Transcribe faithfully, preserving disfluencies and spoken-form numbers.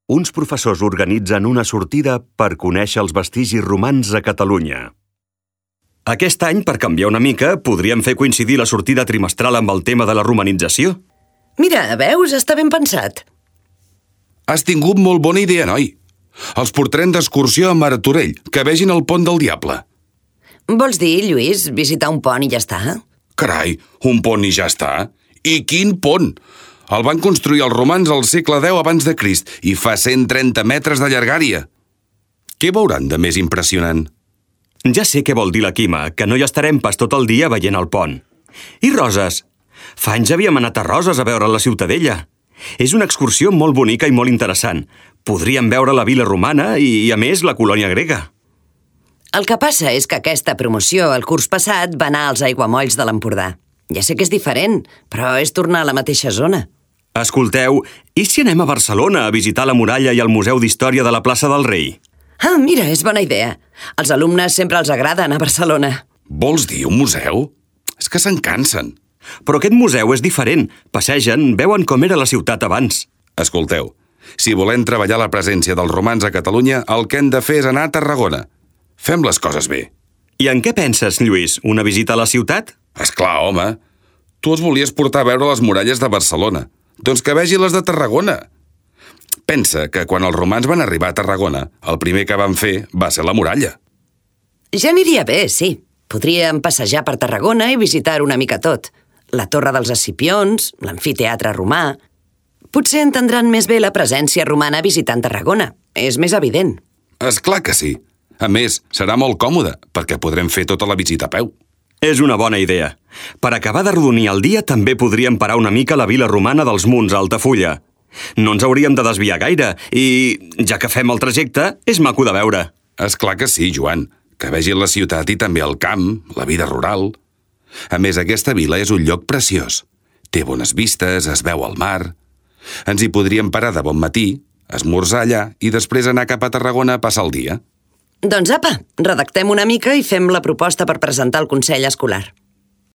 uns professors organitzen una sortida per conèixer els vestigis romans a Catalunya. Aquest any, per canviar una mica, podríem fer coincidir la sortida trimestral amb el tema de la romanització. Mira, veus? Està ben pensat. Has tingut molt bona idea, noi. Els portarem d'excursió a Martorell, que vegin el pont del Diable. Vols dir, Lluís, visitar un pont i ja està? Carai, un pont i ja està? I quin pont! El van construir els romans al segle deu abans de Crist i fa cent trenta metres de llargària. Què veuran de més impressionant? Ja sé què vol dir la Quima, que no hi estarem pas tot el dia veient el pont. I Roses? Fa anys havíem anat a Roses a veure la Ciutadella. És una excursió molt bonica i molt interessant. Podríem veure la vila romana i, a més, la colònia grega. El que passa és que aquesta promoció el curs passat va anar als aiguamolls de l'Empordà. Ja sé que és diferent, però és tornar a la mateixa zona. Escolteu, i si anem a Barcelona a visitar la muralla i el Museu d'Història de la plaça del Rei? Ah, mira, és bona idea. Als alumnes sempre els agrada anar a Barcelona. Vols dir un museu? És que se'n cansen. Però aquest museu és diferent. Passegen, veuen com era la ciutat abans. Escolteu, si volem treballar la presència dels romans a Catalunya, el que hem de fer és anar a Tarragona. Fem les coses bé. I en què penses, Lluís? Una visita a la ciutat? Esclar, home. Tu els volies portar a veure les muralles de Barcelona. Doncs que vegi les de Tarragona. Pensa que quan els romans van arribar a Tarragona, el primer que van fer va ser la muralla. Ja aniria bé, sí. Podríem passejar per Tarragona i visitar una mica tot. La Torre dels Escipions, l'amfiteatre romà... Potser entendran més bé la presència romana visitant Tarragona. És més evident. Esclar que sí. A més, serà molt còmode, perquè podrem fer tota la visita a peu. És una bona idea. Per acabar de rodonir el dia, també podríem parar una mica a la vila romana dels Munts, a Altafulla. No ens hauríem de desviar gaire i, ja que fem el trajecte, és maco de veure. Esclar que sí, Joan. Que vegin la ciutat i també el camp, la vida rural. A més, aquesta vila és un lloc preciós. Té bones vistes, es veu al mar. Ens hi podríem parar de bon matí, esmorzar allà i després anar cap a Tarragona a passar el dia. Doncs apa, redactem una mica i fem la proposta per presentar al Consell Escolar.